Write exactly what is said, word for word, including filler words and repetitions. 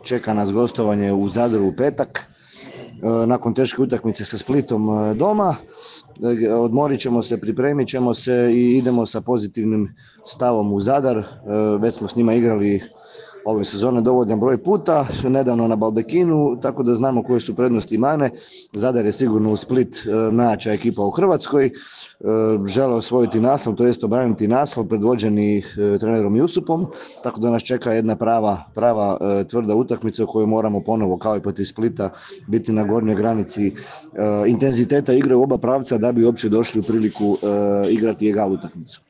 čeka nas gostovanje u Zadru u petak. Nakon teške utakmice sa Splitom doma. Odmorit ćemo se, pripremit ćemo se i idemo sa pozitivnim stavom u Zadar. Već smo s njima igrali ove sezone dovoljan broj puta, nedavno na Baldekinu, tako da znamo koje su prednosti i mane. Zadar je sigurno u Split najjača ekipa u Hrvatskoj. Žele osvojiti naslov, to jest obraniti naslov predvođeni trenerom Jusupom, tako da nas čeka jedna prava, prava tvrda utakmica u kojoj moramo ponovo, kao i protiv Splita, biti na gornjoj granici intenziteta igre u oba pravca da bi uopće došli u priliku igrati egal utakmicu.